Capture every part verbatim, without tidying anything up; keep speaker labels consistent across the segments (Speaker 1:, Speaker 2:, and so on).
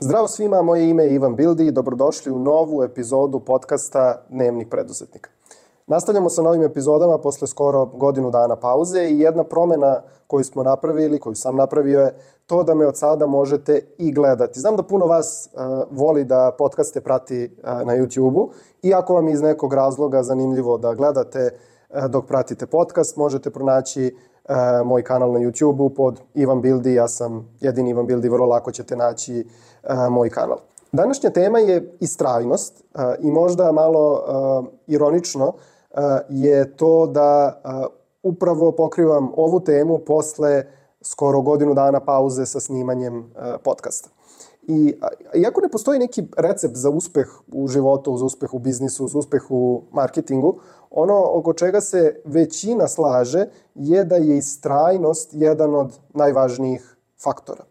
Speaker 1: Zdravo svima, moje ime je Ivan Bildi i dobrodošli u novu epizodu podcasta Dnevnik preduzetnika. Nastavljamo sa novim epizodama posle skoro godinu dana pauze i jedna promena koju smo napravili, koju sam napravio je to da me od sada možete i gledati. Znam da puno vas uh, voli da podcaste prati uh, na YouTube-u i ako vam je iz nekog razloga zanimljivo da gledate uh, dok pratite podcast, možete pronaći uh, moj kanal na YouTube-u pod Ivan Bildi. Ja sam jedini Ivan Bildi, vrlo lako ćete naći uh, moj kanal. Današnja tema je istrajnost uh, i možda malo uh, ironično uh, je to da uh, upravo pokrivam ovu temu posle skoro godinu dana pauze sa snimanjem uh, podcasta. I iako ne postoji neki recept za uspeh u životu, za uspeh u biznisu, za uspeh u marketingu, ono oko čega se većina slaže je da je istrajnost jedan od najvažnijih faktora.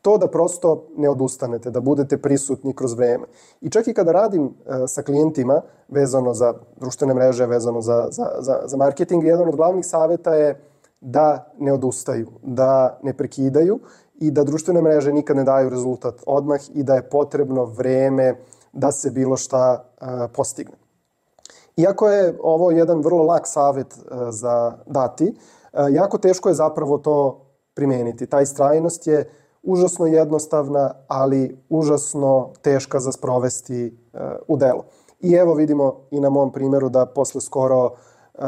Speaker 1: To da prosto ne odustanete, da budete prisutni kroz vreme. I čak i kada radim uh, sa klijentima vezano za društvene mreže, vezano za, za, za, za marketing, jedan od glavnih saveta je da ne odustaju, da ne prekidaju i da društvene mreže nikad ne daju rezultat odmah i da je potrebno vreme da se bilo šta uh, postigne. Iako je ovo jedan vrlo lak savet uh, za dati, uh, jako teško je zapravo to primeniti. Ta istrajnost je užasno jednostavna, ali užasno teška za sprovesti uh, u delo. I evo vidimo i na mom primjeru da posle skoro uh,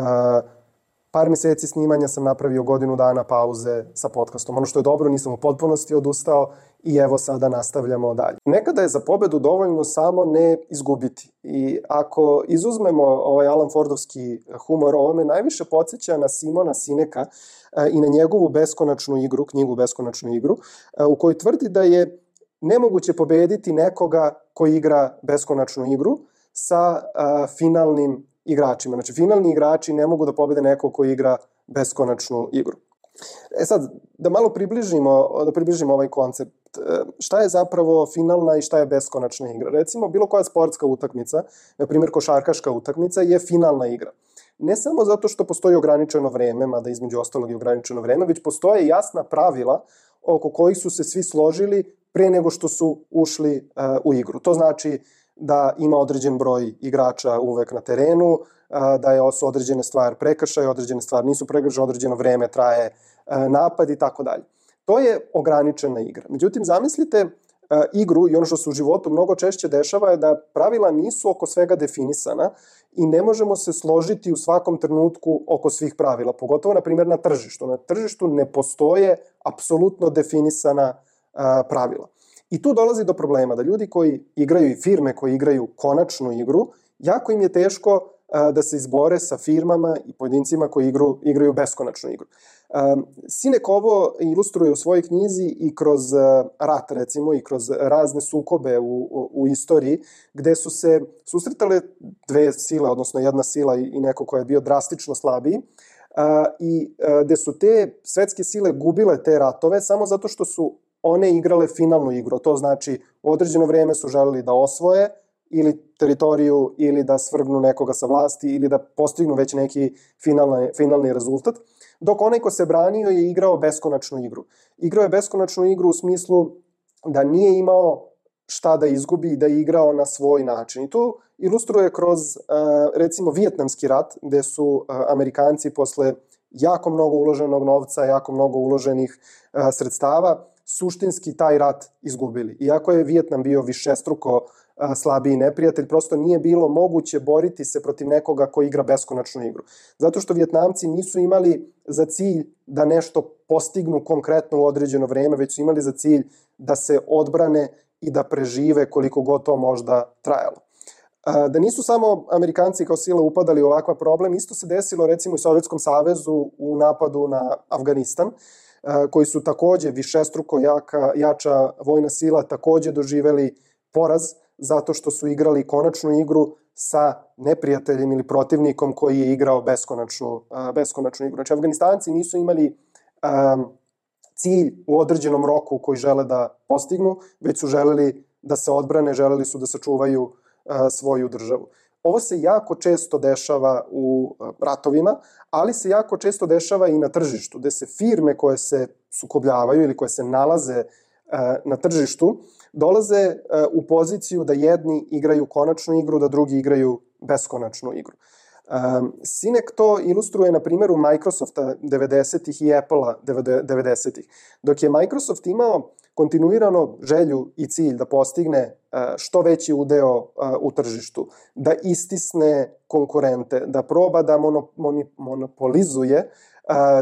Speaker 1: par meseci snimanja sam napravio godinu dana pauze sa podcastom. Ono što je dobro, nisam u potpunosti odustao i evo sada nastavljamo dalje. Nekada je za pobedu dovoljno samo ne izgubiti. I ako izuzmemo ovaj Alan Fordovski humor, ovo me najviše podsjeća na Simona Sineka i na njegovu beskonačnu igru, knjigu Beskonačnu igru, u kojoj tvrdi da je nemoguće pobediti nekoga koji igra beskonačnu igru sa uh, finalnim igračima. Znači, finalni igrači ne mogu da pobede nekog koji igra beskonačnu igru. E sad, da malo približimo, da približimo ovaj koncept. Šta je zapravo finalna i šta je beskonačna igra? Recimo, bilo koja sportska utakmica, na primjer košarkaška utakmica, je finalna igra. Ne samo zato što postoji ograničeno vreme, mada između ostalog je ograničeno vreme, već postoje jasna pravila oko kojih su se svi složili pre nego što su ušli uh, u igru. To znači da ima određen broj igrača uvek na terenu, da je su određene stvari prekršaj, određene stvari nisu prekršaj, određeno vreme traje napad i tako dalje. To je ograničena igra. Međutim, zamislite igru i ono što se u životu mnogo češće dešava je da pravila nisu oko svega definisana i ne možemo se složiti u svakom trenutku oko svih pravila, pogotovo, na primjer, na tržištu. Na tržištu ne postoje apsolutno definisana pravila. I tu dolazi do problema da ljudi koji igraju i firme koji igraju konačnu igru, jako im je teško uh, da se izbore sa firmama i pojedincima koji igru, igraju beskonačnu igru. Um, Sinek ovo ilustruje u svojoj knjizi i kroz uh, rat, recimo, i kroz razne sukobe u, u, u istoriji, gde su se susretale dve sile, odnosno jedna sila i, i neko ko je bio drastično slabiji, uh, i uh, gde su te svetske sile gubile te ratove samo zato što su one igrale finalnu igru. To znači u određeno vreme su želeli da osvoje ili teritoriju ili da svrgnu nekoga sa vlasti ili da postignu već neki finalni, finalni rezultat, dok onaj ko se branio je igrao beskonačnu igru. Igrao je beskonačnu igru u smislu da nije imao šta da izgubi i da je igrao na svoj način. I to ilustruje kroz recimo Vijetnamski rat, gde su Amerikanci posle jako mnogo uloženog novca, jako mnogo uloženih sredstava suštinski taj rat izgubili. Iako je Vijetnam bio višestruko a, slabiji neprijatelj, prosto nije bilo moguće boriti se protiv nekoga ko igra beskonačnu igru. Zato što Vijetnamci nisu imali za cilj da nešto postignu konkretno u određeno vreme, već su imali za cilj da se odbrane i da prežive koliko god to možda trajalo. A, da nisu samo Amerikanci kao sila upadali u ovakav problem, isto se desilo recimo i Sovjetskom savezu u napadu na Afganistan, koji su takođe višestruko jaka, jača vojna sila, takođe doživeli poraz zato što su igrali konačnu igru sa neprijateljem ili protivnikom koji je igrao beskonačnu, beskonačnu igru. Znači, Afganistanci nisu imali um, cilj u određenom roku koji žele da postignu, već su želeli da se odbrane, želeli su da sačuvaju uh, svoju državu. Ovo se jako često dešava u ratovima, ali se jako često dešava i na tržištu, gde se firme koje se sukobljavaju ili koje se nalaze na tržištu dolaze u poziciju da jedni igraju konačnu igru, da drugi igraju beskonačnu igru. Sinek to ilustruje na primjeru Microsofta devedesetih i Apple-a devedesetih. Dok je Microsoft imao kontinuirano želju i cilj da postigne što veći udeo u tržištu, da istisne konkurente, da proba da monopolizuje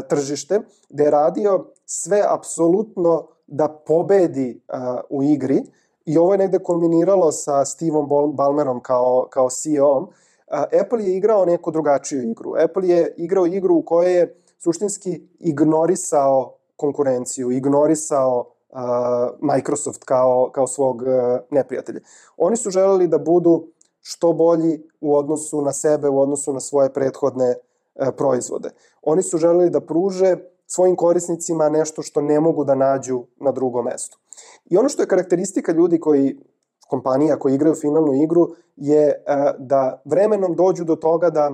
Speaker 1: tržište, da je radio sve apsolutno da pobedi u igri, i ovo je negde kombiniralo sa Steveom Ballmerom kao, kao C E O-om. Apple je igrao neku drugačiju igru. Apple je igrao igru u kojoj je suštinski ignorisao konkurenciju, ignorisao uh, Microsoft kao, kao svog uh, neprijatelja. Oni su želeli da budu što bolji u odnosu na sebe, u odnosu na svoje prethodne uh, proizvode. Oni su želeli da pruže svojim korisnicima nešto što ne mogu da nađu na drugom mestu. I ono što je karakteristika ljudi koji, kompanija koji igraju finalnu igru, je da vremenom dođu do toga da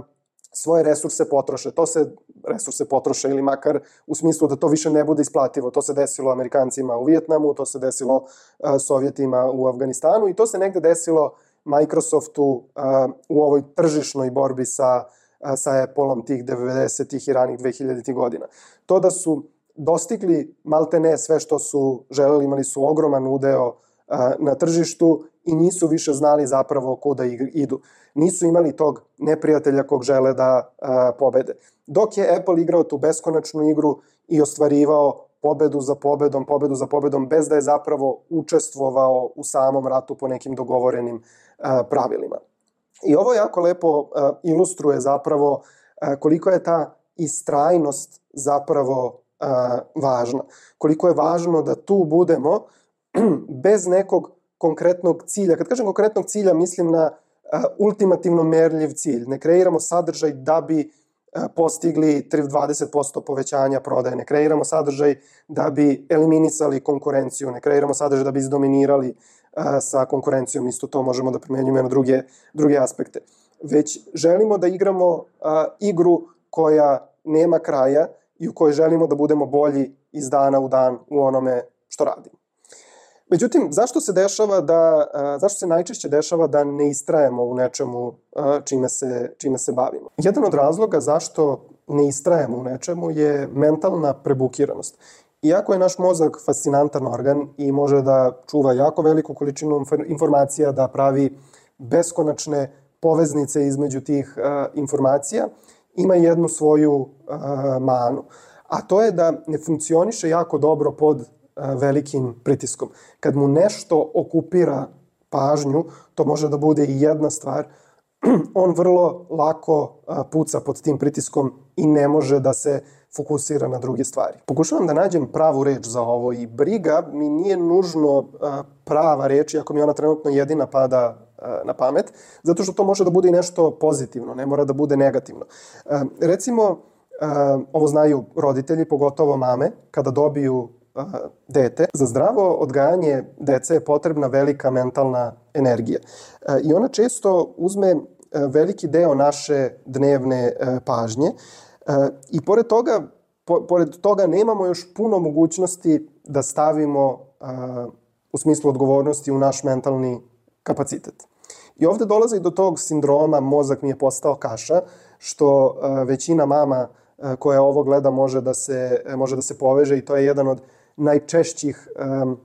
Speaker 1: svoje resurse potroše. To se resurse potroše ili makar u smislu da to više ne bude isplativo. To se desilo Amerikancima u Vijetnamu, to se desilo Sovjetima u Afganistanu i to se negde desilo Microsoftu u ovoj tržišnoj borbi sa, sa Apple-om tih devedesetih i ranih dvehiljaditih godina. To da su dostigli maltene sve što su želeli, imali su ogroman udeo na tržištu i nisu više znali zapravo kuda idu. Nisu imali tog neprijatelja kog žele da a, pobede. Dok je Apple igrao tu beskonačnu igru i ostvarivao pobedu za pobedom, pobedu za pobedom, bez da je zapravo učestvovao u samom ratu po nekim dogovorenim a, pravilima. I ovo jako lepo a, ilustruje zapravo a, koliko je ta istrajnost zapravo a, važna. Koliko je važno da tu budemo bez nekog konkretnog cilja. Kad kažem konkretnog cilja, mislim na uh, ultimativno merljiv cilj. Ne kreiramo sadržaj da bi uh, postigli dvadeset posto povećanja prodaje. Ne kreiramo sadržaj da bi eliminisali konkurenciju. Ne kreiramo sadržaj da bi izdominirali uh, sa konkurencijom. Isto to možemo da primenjujemo na druge, druge aspekte. Već želimo da igramo uh, igru koja nema kraja i u kojoj želimo da budemo bolji iz dana u dan u onome što radimo. Međutim, zašto se dešava da, zašto se najčešće dešava da ne istrajemo u nečemu čime se, čime se bavimo? Jedan od razloga zašto ne istrajemo u nečemu je mentalna prebukiranost. Iako je naš mozak fascinantan organ i može da čuva jako veliku količinu informacija, da pravi beskonačne poveznice između tih informacija, ima jednu svoju manu. A to je da ne funkcioniše jako dobro pod velikim pritiskom. Kad mu nešto okupira pažnju, to može da bude i jedna stvar, on vrlo lako puca pod tim pritiskom i ne može da se fokusira na druge stvari. Pokušavam da nađem pravu reč za ovo i briga mi nije nužno prava reč, iako mi ona trenutno jedina pada na pamet, zato što to može da bude i nešto pozitivno, ne mora da bude negativno. Recimo, ovo znaju roditelji, pogotovo mame, kada dobiju dete. Za zdravo odgajanje dece je potrebna velika mentalna energija. I ona često uzme veliki deo naše dnevne pažnje i pored toga, po, pored toga nemamo još puno mogućnosti da stavimo u smislu odgovornosti u naš mentalni kapacitet. I ovde dolazi do tog sindroma mozak mi je postao kaša, što većina mama koja ovo gleda može da se, može da se poveže i to je jedan od najčešćih um,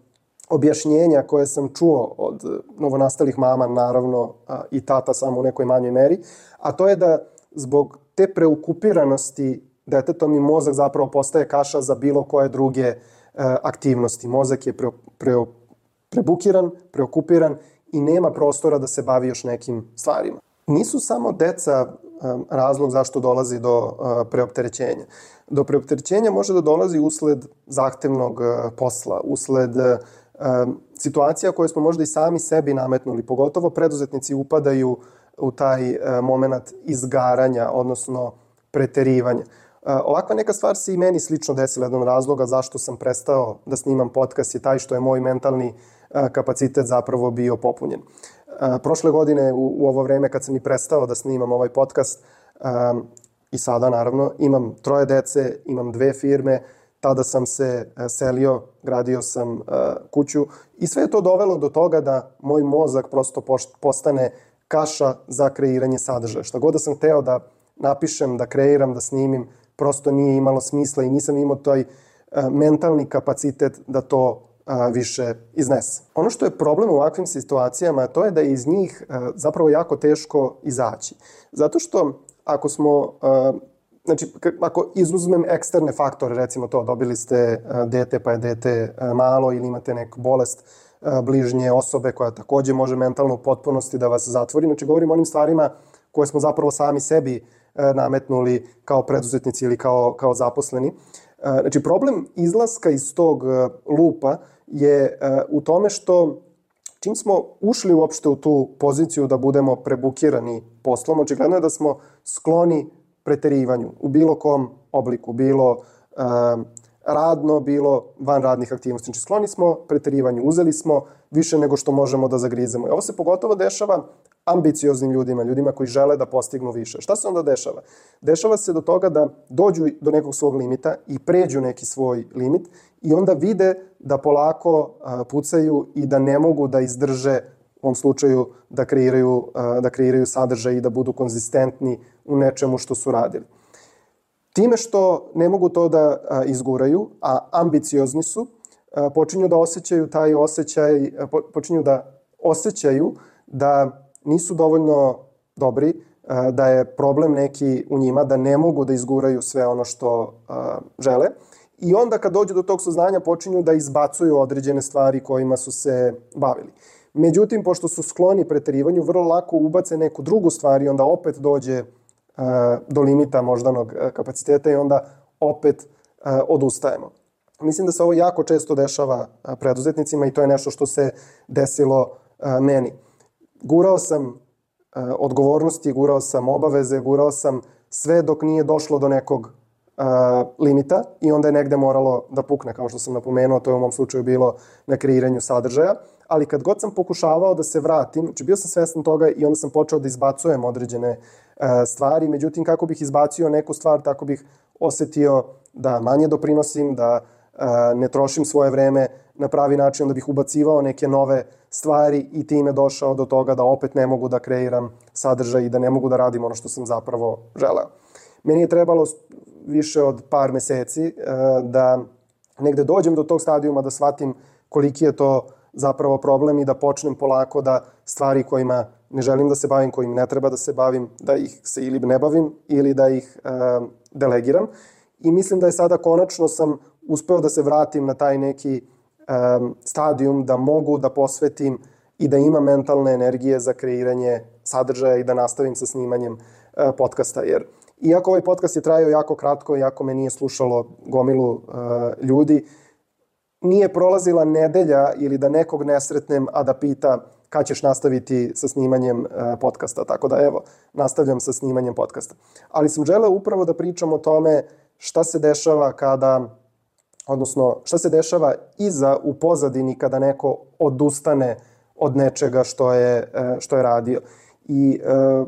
Speaker 1: objašnjenja koje sam čuo od novonastalih mama, naravno, uh, i tata samo u nekoj manjoj meri, a to je da zbog te preokupiranosti detetom i mozak zapravo postaje kaša za bilo koje druge uh, aktivnosti. Mozak je pre, pre, prebukiran, preokupiran i nema prostora da se bavi još nekim stvarima. Nisu samo deca um, razlog zašto dolazi do uh, preopterećenja. Do preopterećenja može da dolazi usled zahtevnog uh, posla, usled uh, situacija koje smo možda i sami sebi nametnuli. Pogotovo preduzetnici upadaju u taj uh, moment izgaranja, odnosno preterivanja. Uh, ovakva neka stvar se i meni slično desila. Jedan od razloga zašto sam prestao da snimam podcast je taj što je moj mentalni uh, kapacitet zapravo bio popunjen. Uh, prošle godine u, u ovo vreme kad sam i prestao da snimam ovaj podcast, um, i sada naravno imam troje dece, imam dve firme, tada sam se selio, gradio sam kuću i sve je to dovelo do toga da moj mozak prosto postane kaša za kreiranje sadržaja. Šta god da sam hteo da napišem, da kreiram, da snimim, prosto nije imalo smisla i nisam imao taj mentalni kapacitet da to više iznese. Ono što je problem u ovakvim situacijama, to je da je iz njih zapravo jako teško izaći. Zato što ako smo, znači ako izuzmem eksterne faktore, recimo to, dobili ste dete pa je dete malo ili imate neku bolest bližnje osobe koja takođe može mentalno u potpunosti da vas zatvori. Znači govorim o onim stvarima koje smo zapravo sami sebi nametnuli kao preduzetnici ili kao, kao zaposleni. Znači problem izlaska iz tog lupa je u tome što čim smo ušli uopšte u tu poziciju da budemo prebukirani poslom, očigledno je da smo skloni preterivanju u bilo kom obliku, bilo uh, radno, bilo van radnih aktivnosti. Znači skloni smo preterivanju, uzeli smo više nego što možemo da zagrizemo. I ovo se pogotovo dešava ambicioznim ljudima, ljudima koji žele da postignu više. Šta se onda dešava? Dešava se do toga da dođu do nekog svog limita i pređu neki svoj limit i onda vide da polako uh, pucaju i da ne mogu da izdrže u ovom slučaju da kreiraju, uh, da kreiraju sadržaj i da budu konzistentni u nečemu što su radili. Time što ne mogu to da uh, izguraju, a ambiciozni su, uh, počinju da osjećaju taj osjećaj, uh, počinju da osjećaju da nisu dovoljno dobri, da je problem neki u njima, da ne mogu da izguraju sve ono što žele. I onda kad dođu do tog saznanja počinju da izbacuju određene stvari kojima su se bavili. Međutim, pošto su skloni preterivanju, vrlo lako ubace neku drugu stvar i onda opet dođe do limita moždanog kapaciteta i onda opet odustajemo. Mislim da se ovo jako često dešava preduzetnicima i to je nešto što se desilo meni. Gurao sam uh, odgovornosti, gurao sam obaveze, gurao sam sve dok nije došlo do nekog uh, limita i onda je negde moralo da pukne, kao što sam napomenuo, to je u mom slučaju bilo na kreiranju sadržaja, ali kad god sam pokušavao da se vratim, znači bio sam svestan toga i onda sam počeo da izbacujem određene uh, stvari, međutim kako bih izbacio neku stvar, tako bih osetio da manje doprinosim, da uh, ne trošim svoje vreme na pravi način, da bih ubacivao neke nove stvari i time došao do toga da opet ne mogu da kreiram sadržaj i da ne mogu da radim ono što sam zapravo želeo. Meni je trebalo više od par meseci da negde dođem do tog stadijuma, da shvatim koliki je to zapravo problem i da počnem polako da stvari kojima ne želim da se bavim, kojim ne treba da se bavim, da ih se ili ne bavim ili da ih delegiram. I mislim da je sada konačno sam uspeo da se vratim na taj neki stadijum da mogu da posvetim i da imam mentalne energije za kreiranje sadržaja i da nastavim sa snimanjem podcasta. Jer iako ovaj podcast je trajao jako kratko, iako me nije slušalo gomilu ljudi, nije prolazila nedelja ili da nekog ne sretnem, a da pita kad ćeš nastaviti sa snimanjem podcasta. Tako da evo, nastavljam sa snimanjem podcasta. Ali sam želeo upravo da pričam o tome šta se dešava kada odnosno šta se dešava iza u pozadini kada neko odustane od nečega što je, što je radio. I e,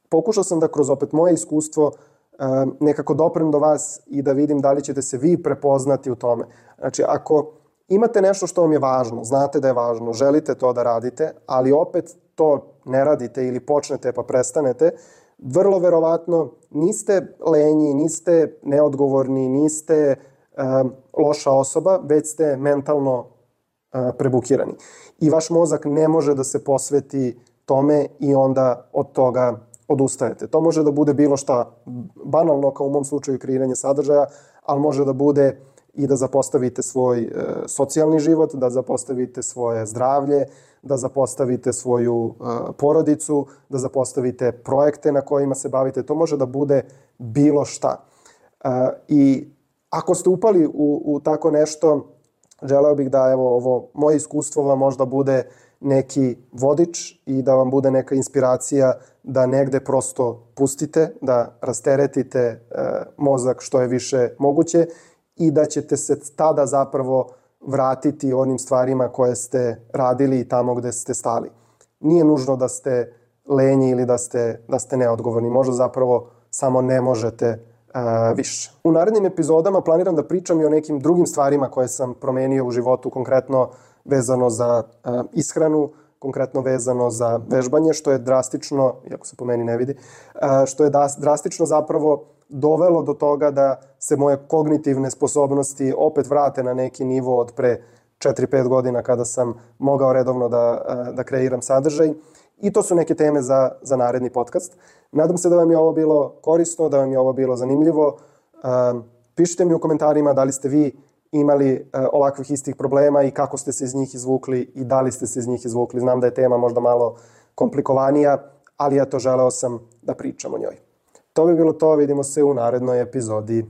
Speaker 1: pokušao sam da kroz opet moje iskustvo e, nekako doprem do vas i da vidim da li ćete se vi prepoznati u tome. Znači, ako imate nešto što vam je važno, znate da je važno, želite to da radite, ali opet to ne radite ili počnete pa prestanete, vrlo verovatno niste lenji, niste neodgovorni, niste Um, loša osoba, već ste mentalno uh, prebukirani. I vaš mozak ne može da se posveti tome i onda od toga odustajete. To može da bude bilo šta banalno, kao u mom slučaju kreiranje sadržaja, ali može da bude i da zapostavite svoj uh, socijalni život, da zapostavite svoje zdravlje, da zapostavite svoju uh, porodicu, da zapostavite projekte na kojima se bavite. To može da bude bilo šta. Uh, I Ako ste upali u, u tako nešto, želeo bih da evo ovo moje iskustvo vam možda bude neki vodič i da vam bude neka inspiracija da negde prosto pustite, da rasteretite e, mozak što je više moguće i da ćete se tada zapravo vratiti onim stvarima koje ste radili i tamo gde ste stali. Nije nužno da ste lenji ili da ste, da ste neodgovorni. Možda zapravo samo ne možete uh, više. U narednim epizodama planiram da pričam i o nekim drugim stvarima koje sam promenio u životu, konkretno vezano za uh, ishranu, konkretno vezano za vežbanje, što je drastično, iako se po meni ne vidi, uh, što je da, drastično zapravo dovelo do toga da se moje kognitivne sposobnosti opet vrate na neki nivo od pre četiri pet godina kada sam mogao redovno da, da kreiram sadržaj. I to su neke teme za, za naredni podcast. Nadam se da vam je ovo bilo korisno, da vam je ovo bilo zanimljivo. Pišite mi u komentarima da li ste vi imali ovakvih istih problema i kako ste se iz njih izvukli i da li ste se iz njih izvukli. Znam da je tema možda malo komplikovanija, ali ja to želeo sam da pričam o njoj. To bi bilo to, vidimo se u narednoj epizodi.